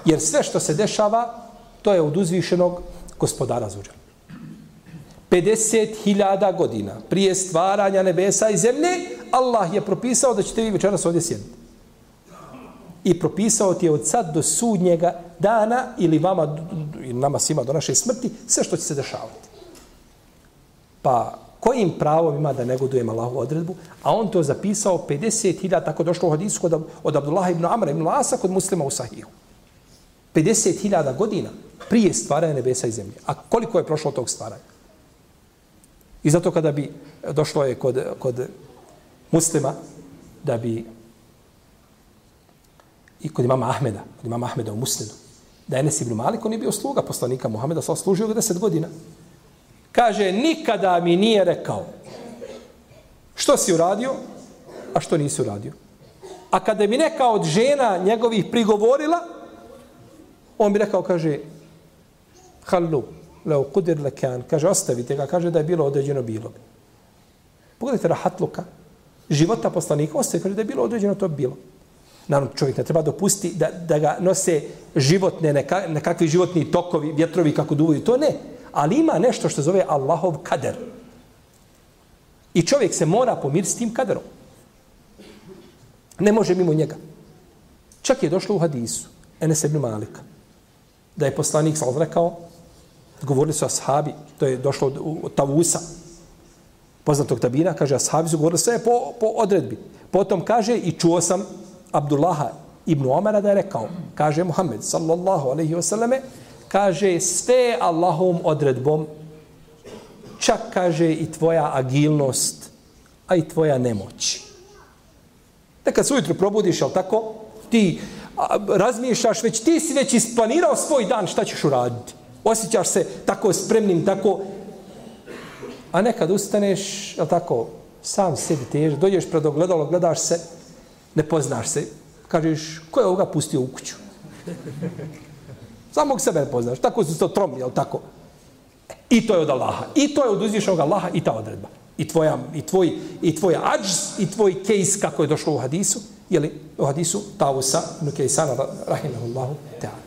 Jer sve što se dešava, to je od uzvišenog gospodara Azuđela. 50.000 godina prije stvaranja nebesa i zemlje, Allah je propisao da ćete vi večeras ovdje sjediti. I propisao ti je od sad do sudnjega dana ili vama, ili nama svima do naše smrti, sve što će se dešavati. Pa kojim pravom ima da negodujemo Allahovu odredbu? A on to zapisao 50.000, tako došlo u hadisu od Abdullaha ibn Amra ibn Asa kod Muslima u Sahihu. 50.000 godina prije stvaranja nebesa i zemlje. A koliko je prošlo tog stvaranja? I zato kada bi došlo je kod Muslima da bi i kod imama Ahmeda u Muslimu, da je Enes ibn Malik, on je bio sluga poslanika Muhameda, služio ga 10 godina. Kaže, nikada mi nije rekao što si uradio, a što nisi uradio. A kada bi neka od žena njegovih prigovorila, on bi rekao, kaže, hallu, leo kudir lekan, kaže, ostavite ga, kaže da je bilo određeno bilo bi. Pogledajte rahatluka, života poslanika, ostavite, kaže da je bilo određeno, to bi bilo. Naravno, čovjek ne treba dopustiti da ga nose životne, nekakvi životni tokovi, vjetrovi kako duvaju, to ne. Ali ima nešto što zove Allahov kader. I čovjek se mora pomiriti s tim kaderom. Ne može mimo njega. Čak je došlo u hadisu Enes ibn Malika, da je poslanik sallallahu rekao, govorili su ashabi, to je došlo od Tavusa, poznatog tabina, kaže, ashabi su govorili sve po odredbi. Potom kaže, i čuo sam Abdullaha ibn Omara da je rekao, kaže Muhammed sallallahu alaihi wasallame, kaže, sve Allahovom odredbom, čak kaže i tvoja agilnost, a i tvoja nemoć. Nekad se ujutro probudiš, jel tako, ti razmišljaš, ti si već isplanirao svoj dan, šta ćeš uraditi. Osjećaš se tako spremnim, tako. A nekad ustaneš, jel tako, sam sebi teže, dođeš pred ogledalo, gledaš se, ne poznaš se, kažeš, ko je ovoga pustio u kuću? Samog sebe ne poznaš, tako su to tromi, jel tako? I to je od Allaha, i to je od uzvišenog Allaha, i ta odredba. I tvoj adžz, i tvoj kejs, kako je došlo u hadisu, jeli, u hadisu Tavusa, Nukejsana, rahimahullahu, ta'ala.